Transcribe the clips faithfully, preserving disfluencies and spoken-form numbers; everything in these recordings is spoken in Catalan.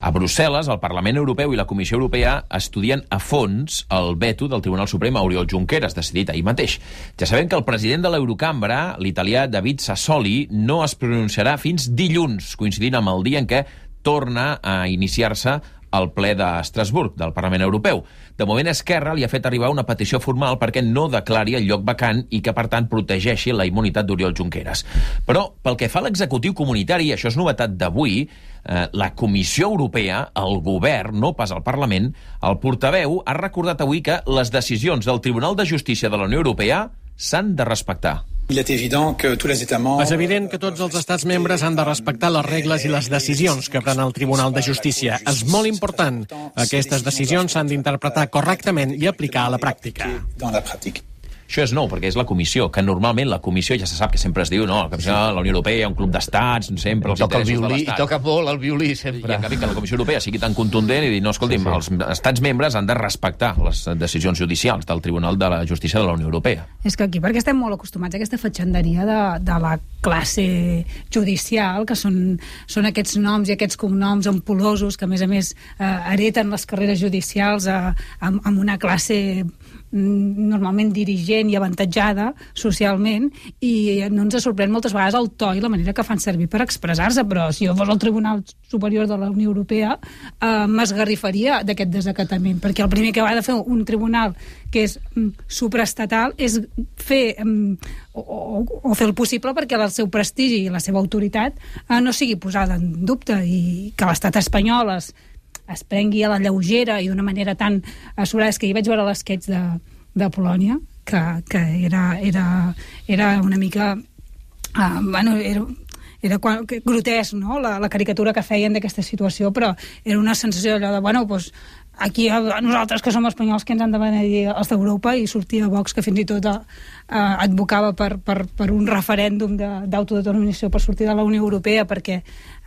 A Brussel·les, el Parlament Europeu i la Comissió Europea estudien a fons el veto del Tribunal Suprem a Oriol Junqueras, decidit ahir mateix. Ja sabem que el president de l'Eurocambra, l'italià David Sassoli, no es pronunciarà fins dilluns, coincidint amb el dia en què torna a iniciar-se al ple d'Estrasburg, del Parlament Europeu. De moment, Esquerra li ha fet arribar una petició formal perquè no declari el lloc vacant i que, per tant, protegeixi la immunitat d'Oriol Junqueras. Però, pel que fa a l'executiu comunitari, això és novetat d'avui, eh, la Comissió Europea, el govern, no pas el Parlament, el portaveu ha recordat avui que les decisions del Tribunal de Justícia de la Unió Europea s'han de respectar. És evident que tots els estats membres han de respectar les regles i les decisions que pren el Tribunal de Justícia. És molt important. Aquestes decisions s'han d'interpretar correctament i aplicar a la pràctica. Això és nou, perquè és la Comissió, que normalment la Comissió ja se sap que sempre es diu, no, la Comissió de la Unió Europea, un club d'estats, sempre els toca el interessos de violí, l'Estat. I toca molt el violí, sempre. I en canvi que la Comissió Europea sigui tan contundent i dir, no, escolti'm, sí, sí. els estats membres han de respectar les decisions judicials del Tribunal de la Justícia de la Unió Europea. És que aquí, perquè estem molt acostumats a aquesta fatxanderia de, de la classe judicial, que són, són aquests noms i aquests cognoms ampul·losos que, a més a més, eh, hereten les carreres judicials eh, amb, amb una classe normalment dirigent i avantatjada socialment, i no ens sorprèn moltes vegades el to i la manera que fan servir per expressar-se, però si jo fos el Tribunal Superior de la Unió Europea eh, m'esgarrifaria d'aquest desacatament, perquè el primer que va de fer un tribunal que és mm, supraestatal és fer mm, o, o, o fer el possible perquè el seu prestigi i la seva autoritat eh, no sigui posada en dubte, i que l'estat espanyol es es prengui a la lleugera i d'una manera tan assurada. És que hi vaig veure l'esquetx de, de Polònia, que, que era, era, era una mica... Uh, bueno, era, era quan, grotesc, no?, la, la caricatura que feien d'aquesta situació, però era una sensació allò de, bueno, doncs, aquí a nosaltres que som espanyols que ens han de benedir els d'Europa, i sortia Vox que fins i tot eh, advocava per, per, per un referèndum d'autodeterminació per sortir de la Unió Europea, perquè,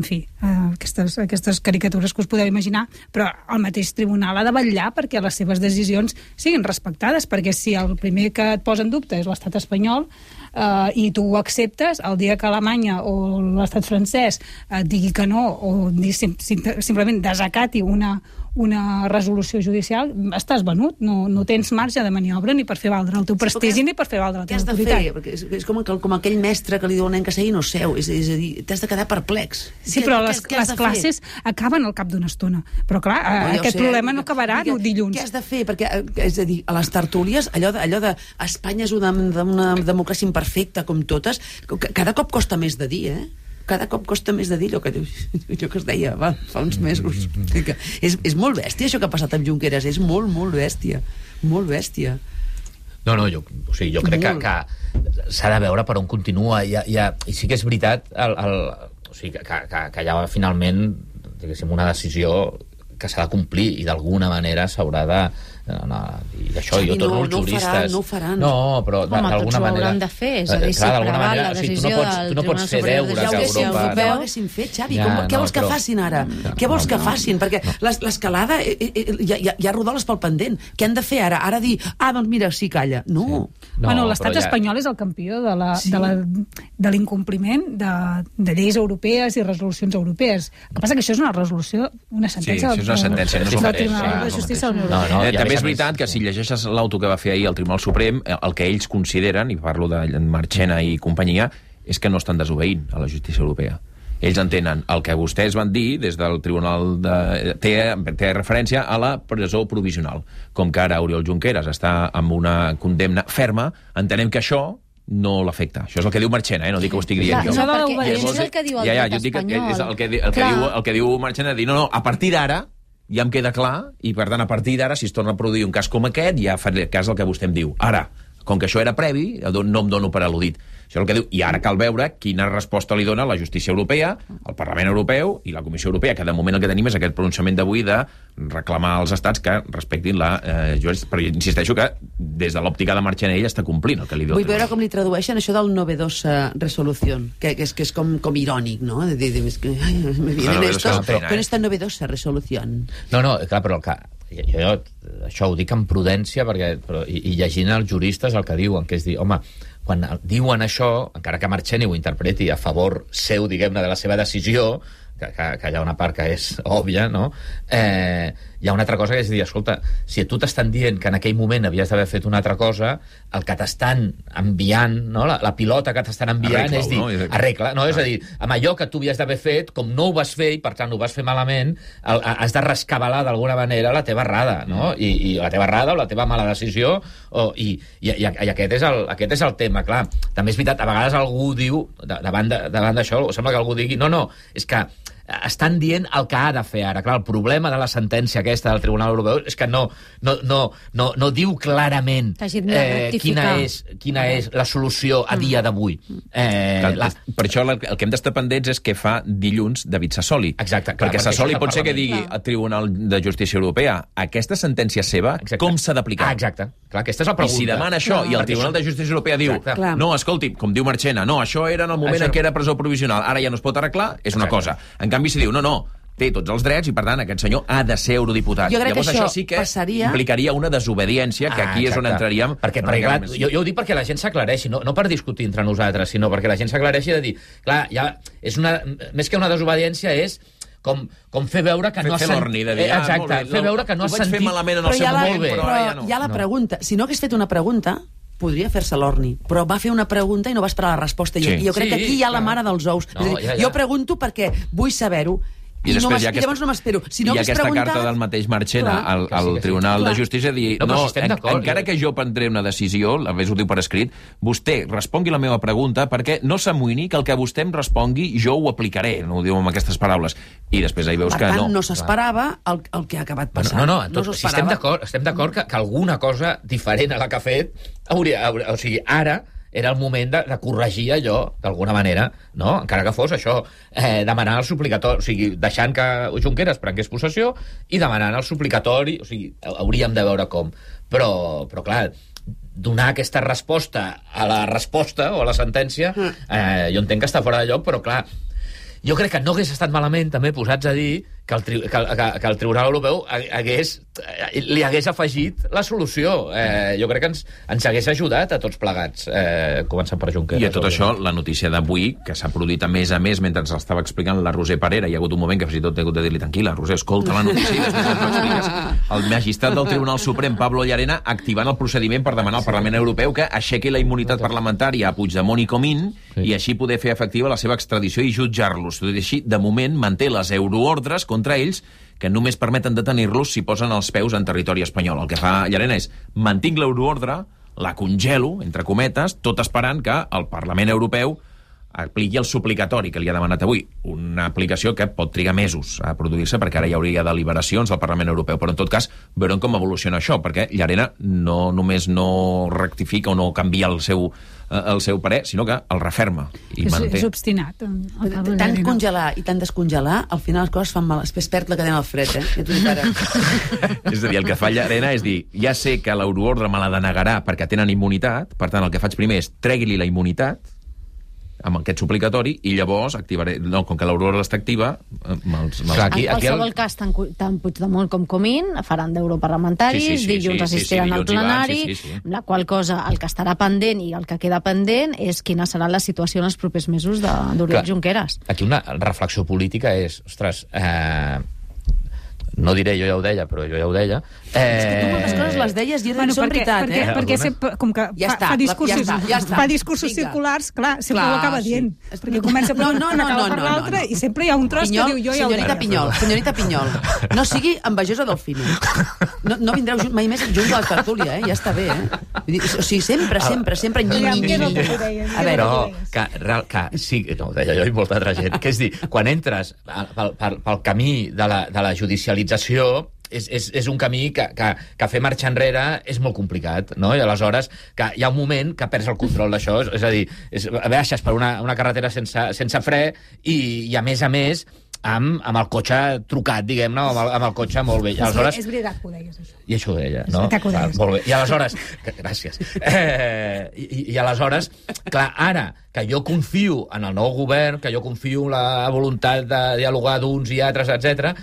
en fi, eh, aquestes, aquestes caricatures que us podeu imaginar, però el mateix tribunal ha de vetllar perquè les seves decisions siguin respectades, perquè si el primer que et posa en dubte és l'estat espanyol eh, i tu ho acceptes, el dia que Alemanya o l'estat francès eh, digui que no, o sim, sim, simplement desacati una una resolució judicial, estàs venut, no, no tens marge de maniobra ni per fer valdre el teu prestigi ni per fer valdre la teva autoritat. Què has de fer? Perquè és, és com, com aquell mestre que li diu al nen que segui no seu, és, és a dir, t'has de quedar perplex. Sí, però les, les classes acaben al cap d'una estona. Però clar, no, aquest sé, problema no acabarà que, dilluns. Què has de fer? Perquè, és a dir, a les tertúlies, allò de, allò de Espanya és una, una democràcia imperfecta com totes, cada cop costa més de dir, eh? Cada cop costa més de dir allò que, allò que es deia va, fa uns mesos. És, és molt bèstia això que ha passat amb Junqueras, és molt, molt bèstia. Molt bèstia. No, no, jo, o sigui, jo crec molt. que, que s'ha de veure per on continua. I, i, i sí que és veritat el, el, o sigui, que, que, que hi ha finalment, diguéssim, una decisió que s'ha de complir i d'alguna manera s'haurà de... No, i això, Xavi, jo torno no, als juristes... No ho faran, no ho faran. No, però Home, d'alguna manera... Home, tots ho hauran de fer, és a dir, si preval la decisió del Tribunal del Tribunal Superior de Justícia Justícia Europeu... Ja ho haguessin fet, Xavi. Ja, Com, què no, vols que però... facin ara? No, què vols no, que no, facin? Perquè no. l'escalada eh, eh, hi, ha, hi ha rodolles pel pendent. Què han de fer ara? Ara dir, ah, doncs mira, sí, calla. No. Sí. No bueno, l'estat ja... espanyol és el campió de la, sí. de la, de l'incompliment de, de lleis europees i resolucions europees. El que passa que això és una resolució, una sentència... Sí, és una sentència, no és un Tribunal de Justícia de la Unió Europea. No, no, també és veritat que si llegeixes l'auto que va fer ahir el Tribunal Suprem, el que ells consideren, i parlo de Marchena i companyia, és que no estan desobeint a la justícia europea. Ells entenen el que vostès van dir des del Tribunal de... Té, té referència a la presó provisional. Com que ara Oriol Junqueras està amb una condemna ferma, entenem que això no l'afecta. Això és el que diu Marchena, eh? No dic que ho estic dient jo. No, perquè és el que diu el ja, ja, dret espanyol. És el que, el que, diu, el que diu Marchena, dir, no, no, a partir d'ara ja em queda clar, i per tant, a partir d'ara, si es torna a produir un cas com aquest, ja faré cas del que vostè em diu. Ara, com que això era previ, no em dono per al·ludit. Això és el que diu. I ara cal veure quina resposta li dona la justícia europea, el Parlament Europeu i la Comissió Europea, que de moment el que tenim és aquest pronunciament d'avui de reclamar als estats que respectin la... Eh, jo, però insisteixo que des de l'òptica de Marchena ell està complint el que li diu. Vull veure com li tradueixen això del novedosa resolució, que, que és, que és com, com irònic, no? De, de, de, que, ai, me vienen no, no, estos no, con esta novedosa resolució. No, no, clar, però el que... Jo, jo això ho dic amb prudència perquè, però, i, i llegint els juristes el que diuen, que és dir, home, quan diuen això, encara que Marchena ho interpreti a favor seu, diguem-ne, de la seva decisió, que, que, que hi ha una part que és òbvia, no? Eh, hi ha una altra cosa que és dir, escolta, si tu t'estan dient que en aquell moment havies d'haver fet una altra cosa, el que t'estan enviant, no? la, la pilota que t'estan enviant Arregla-ho, és dir, no? arregla, no? Ah. És a dir, amb allò que tu havies d'haver fet, com no ho vas fer i per tant ho vas fer malament, el, has de rescabalar d'alguna manera la teva errada, no? I, i la teva errada o la teva mala decisió, o, i, i, i, i aquest, és el, aquest és el tema, clar. També és veritat, a vegades algú diu, davant d'això, sembla que algú digui, no, no, és que estan dient el que ha de fer ara. Clar, el problema de la sentència aquesta del Tribunal Europeu és que no, no, no, no, no diu clarament eh, quina, és, quina és la solució a dia d'avui. Eh, clar, la... Per això el que hem d'estar pendents és què fa dilluns David Sassoli. Exacte. Clar, perquè Sassoli pot ser que digui clar. al Tribunal de Justícia Europea aquesta sentència seva, exacte. Com s'ha d'aplicar? Ah, exacte. Clar, aquesta és la pregunta. I si demana això clar. i el Tribunal de Justícia Europea diu exacte. no, escolti, com diu Marchena, no, això era en el moment això... en què era presó provisional, ara ja no es pot arreglar, és una exacte. cosa. En canvi, si diu, no, no, té tots els drets i, per tant, aquest senyor ha de ser eurodiputat. Jo crec Llavors, que això això sí que passaria... implicaria una desobediència, que aquí ah, és on entraríem... Perquè, perquè clar, jo, jo ho dic perquè la gent s'aclareixi, no, no per discutir entre nosaltres, sinó perquè la gent s'aclareixi de dir, clar, ja és una, més que una desobediència és com, com fer veure que fer, no has sentit... De dir, eh, exacte, ah, bé, fer veure que no has sentit... Ho vaig fer malament en el seu moment, la, però ara ja no. Hi ha la no. pregunta. Si no hagués fet una pregunta, podria fer-se l'orni, però va fer una pregunta i no va esperar la resposta. Sí. I jo crec Sí, que aquí hi ha la clar. mare dels ous. No, és a dir, ja, ja. Jo pregunto perquè vull saber-ho. I, I, no després, hi ha i llavors no m'espero. Si no hi ha hagués aquesta preguntat... carta del mateix Marchena Clar. al, al Que sí, que sí. Tribunal Clar. de Justícia dir, No, no, però si estem en, d'acord, encara jo- que jo prendré una decisió, a més ho diu per escrit, vostè respongui la meva pregunta perquè no s'amoïni que el que vostè em respongui jo ho aplicaré, no ho diu amb aquestes paraules. I després ahí veus Per que tant, no. no s'esperava el, el que ha acabat passant. No, no, no, tot, no si estem d'acord, estem d'acord que, que alguna cosa diferent a la que ha fet hauria, hauria, o sigui, ara era el moment de, de corregir allò, d'alguna manera, no? Encara que fos això, eh, demanar el suplicatori, o sigui, deixant que Junqueras prengués possessió i demanant el suplicatori, o sigui, hauríem de veure com. Però, però clar, donar aquesta resposta a la resposta o a la sentència, eh, jo entenc que està fora de lloc, però clar, jo crec que no hagués estat malament també posats a dir que el, tri que, que, que el Tribunal Europeu hagués, li hagués afegit la solució. Eh, jo crec que ens, ens hagués ajudat a tots plegats, eh, començant per Junqueras. I a tot això, la notícia d'avui, que s'ha produït a més a més mentre ens l'estava explicant la Roser Parera, hi ha hagut un moment que fins i tot he hagut de dir-li, tranquil·la, Roser, escolta la notícia i després ens l'expliques. El magistrat del Tribunal Suprem, Pablo Llarena, activant el procediment per demanar al Parlament Europeu que aixequi la immunitat parlamentària a Puigdemont i Comín sí. i així poder fer efectiva la seva extradició i jutjar-los. Tot i així, de moment, manté les euroordres contra ells que només permeten detenir-los si posen els peus en territori espanyol. El que fa Llarena és mantinc l'euroordre, la congelo, entre cometes, tot esperant que el Parlament Europeu apliqui el suplicatori que li ha demanat avui. Una aplicació que pot trigar mesos a produir-se perquè ara hi hauria deliberacions al Parlament Europeu. Però en tot cas veurem com evoluciona això, perquè Llarena no només no rectifica o no canvia el seu, el seu parer, sinó que el referma i és, manté. És obstinat. El Tant Llarena. congelar i tant descongelar, al final les coses fan mal. Després perd la cadena al fred, eh? Ja t'ho dic ara. És a dir, el que fa Llarena és dir, ja sé que l'euroordre me la denegarà perquè tenen immunitat, per tant el que faig primer és tregui-li la immunitat amb aquest suplicatori i llavors activaré... No, com que l'euroordre està activa... Me'ls, me'ls... Clar, aquí- En qualsevol el- cas, tant, Cu- tant Puigdemont com Comín faran d'europarlamentaris, Sí, sí, sí, dilluns sí, sí, assistiran sí, al dilluns hi van, plenari, sí, sí, sí. amb la qual cosa el que estarà pendent i el que queda pendent és quina serà la situació en els propers mesos de- d'Oriol Clar. Junqueras. Aquí una reflexió política és, ostres, eh, no diré jo ja ho deia, però jo ja ho deia. Eh, És que tu moltes coses les deies i Bueno, són perquè, veritat, perquè, eh? perquè Algunes? sempre, com que Ja fa, està, fa la- discursos, ja està, ja està. fa discursos Vinga. circulars, clar, sempre Clar, ho acaba sí. dient. Perquè comença per No, una no, cosa, no, acaba no, per no, l'altra, no. i sempre hi ha un tros Pinyol, que diu jo ja ho senyorita deia. Pinyol, senyorita Pinyol, no sigui envejosa del Fino. No, no vindreu junt, mai més junt a la tertúlia, eh? Ja està bé, eh? Vull dir, o sigui, sempre, sempre, sempre... Nyi, Ja, nyi, què és el nyi. que tu deies? A veure, Però deies? que, real- que sí, no, ho deia jo i molta altra gent, que és dir, quan entres pel, pel, pel camí de la, de la judicialització, és, és, és un camí que, que, que fer marxa enrere és molt complicat, no? I aleshores que hi ha un moment que perds el control d'això, és, és a dir, és, baixes per una, una carretera sense, sense fre i, i a més a més amb, amb el cotxe trucat, diguem-ne, amb, el, amb el cotxe molt bé. I aleshores, És veritat que ho deies, això. i això ho deia, no? veritat que ho deies. Ah, molt bé. I aleshores... Que, gràcies. Eh, i, I aleshores, clar, ara que jo confio en el nou govern, que jo confio en la voluntat de dialogar d'uns i altres, etcètera,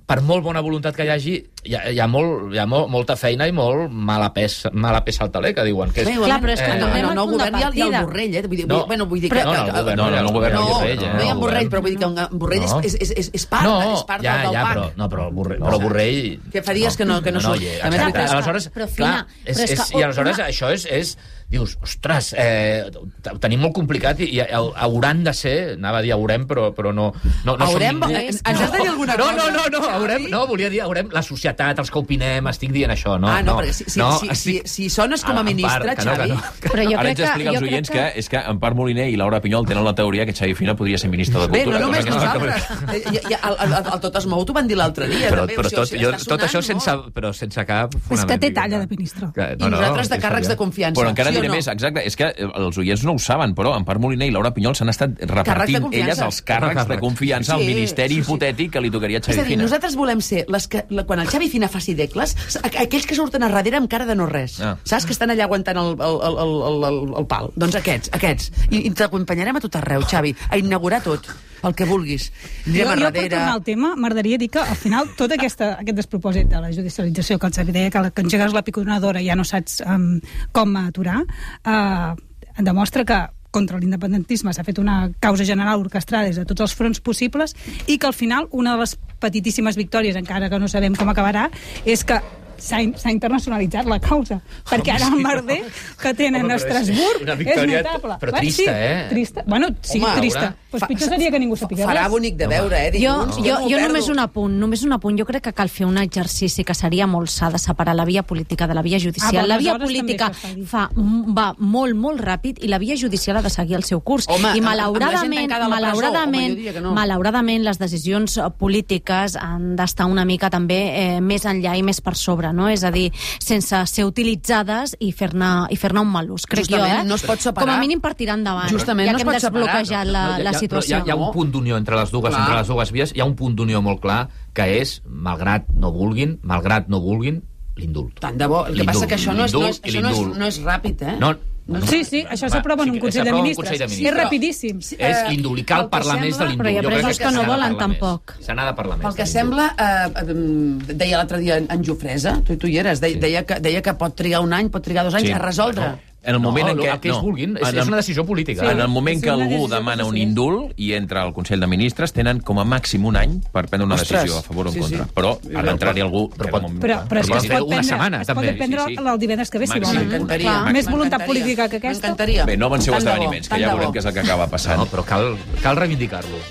per molt bona voluntat que hi hagi, hi ha, hi ha, molt, hi ha molt, molta feina i molt mala peça, mala peça al taler, que diuen. Que és, Clar, però és que eh, tornem no, al no, punt de govern hi ha, hi ha el partida. Borrell, eh? Vull dir, No, bueno, vull dir però- que... no, no, el govern no, no, el govern no, no hi ha Borrell, eh? no hi ha El Borrell, govern. però vull dir que en Borrell No. és, és, és, és part, no, és part ja, del, del ja, pack. però, no, però el Borrell... Però el Borrell Que fa dies que no- que no surt. hi és, També és exacte. veritat. Aleshores, Però, clar, Fina, és, però és és, que i aleshores una- això és... és dius, ostres, eh, ho tenim molt complicat i, i hauran de ser, anava a dir haurem, però, però no... no, no Haurem? som ningú. Ens has de dir alguna no, cosa? No, no, no, haurem, no, volia dir, haurem la societat, els que opinem, estic dient això, no. Ah, no, no perquè si, si, no, si, estic... si, si sones com a Ah, en ministre, part, que no, Xavi... que no. Però jo Ara crec ens que... explica als jo crec oients que... que... és que Empar Moliner i Laura Pinyol tenen la teoria que Xavi Fina podria ser ministre de Bé, Cultura. no només cosa que nosaltres. Eh, i- i- El, el, el Tot es mou t'ho van dir l'altre dia. Però, també, però o sigui, tot, o sigui, jo, està tot això sonant sense, molt. però sense cap És fonament. que té diguem-ne. talla de ministre. Que, I nosaltres de càrrecs de confiança. Però encara sí o diré no? més, exacte, és que els oients no ho saben, però Empar Moliner i Laura Pinyol s'han estat Càrrecs de repartint confiança. elles els càrrecs de confiança al Sí, ministeri sí, sí. hipotètic que li tocaria a És Xavi a dir, Fina. nosaltres volem ser les que, la, quan el Xavi Fina faci decles, a- aquells que surten a darrere amb cara de no res. Ah. Saps? Que estan allà aguantant el, el, el, el, el, el pal. Doncs aquests, aquests. I, i t'acompanyarem a tot arreu, Xavi, a inaugurar tot, el que vulguis. Anirem Jo, a jo per darrere... tornar al tema, m'agradaria dir que al final tot aquesta, aquest despropòsit de la judicialització que el Xavi deia, que, la- que engegues la piconadora i ja no saps um, com aturar, uh, demostra que contra l'independentisme s'ha fet una causa general orquestrada des de tots els fronts possibles i que al final una de les petitíssimes victòries, encara que no sabem com acabarà, és que s'ha in- s'ha internacionalitzat la causa, perquè ara el merder que tenen Home, a però és Estrasburg una és victòria, notable. però Bé, trista, sí, eh? Trista. Bueno, sí, Home, trista. veure, Pues Fa- pitjor seria que ningú sapigués Farà res. bonic de veure, eh? Jo, Dilluns, jo, m'ho jo perdo. només un apunt, només un apunt. Jo crec que cal fer un exercici que seria molt sa de separar la via política de la via judicial. Ah, però la via aleshores política també s'està dient. fa, va molt, molt ràpid i la via judicial ha de seguir el seu curs. Home, I amb- amb la gent malauradament, tancada a la presó, malauradament, home, jo diria que no. malauradament les decisions eh, polítiques han d'estar una mica també eh, més enllà i més per sobre, no? És a dir, sense ser utilitzades i fer-ne i fer-ne un mal ús, crec Justament, jo, eh? no es pot separar. Com a mínim per tirar endavant. Justament, ja no que es hem pot separar. desbloquejat la, No, hi ha- la però situació. Hi ha, hi ha un punt d'unió entre les dues, Clar. entre les dues vies, hi ha un punt d'unió molt clar, que és, malgrat no vulguin, malgrat no vulguin, l'indult. Tant de bo. El que passa que això no és, no és, L'indult i això no és, l'indult. no és ràpid, eh? No, No, Sí, sí, això s'aprova en un sí que Consell de s'aprova en un Ministres. Consell de És Ministres. rapidíssim. És l'indult, i cal el que parlar més de sembla- l'indult. Però hi ha Jo crec presos que s'ha no de volen, parlar més. tampoc. Se n'ha de parlar més. Pel que de l'indult. sembla, eh, eh, deia l'altre dia en Jofresa, tu, tu hi eres, deia, Sí. deia, que, deia que pot trigar un any, pot trigar dos anys Sí. a resoldre. No. En el moment no, en què... el que ells no. vulguin, és, En és el- una decisió política. En el moment És que una algú decisió demana que un decideix. indult i entra al Consell de Ministres, tenen com a màxim un any per prendre una Ostres. decisió a favor o en Sí, contra. sí. Però ha d'entrar-hi algú... Però que pot- de moment- Però, però és Però que es pot fer pot una prendre, setmana, es pot també. prendre Sí, sí. el divendres que ve, si Màxim. volen. M'encantaria. Clar. Més voluntat M'encantaria. política que aquesta. M'encantaria. Bé, no avanceu Tant de bo, esdeveniments, que tant ja de veurem bo. què és el que acaba passant. No, però cal, cal reivindicar-lo.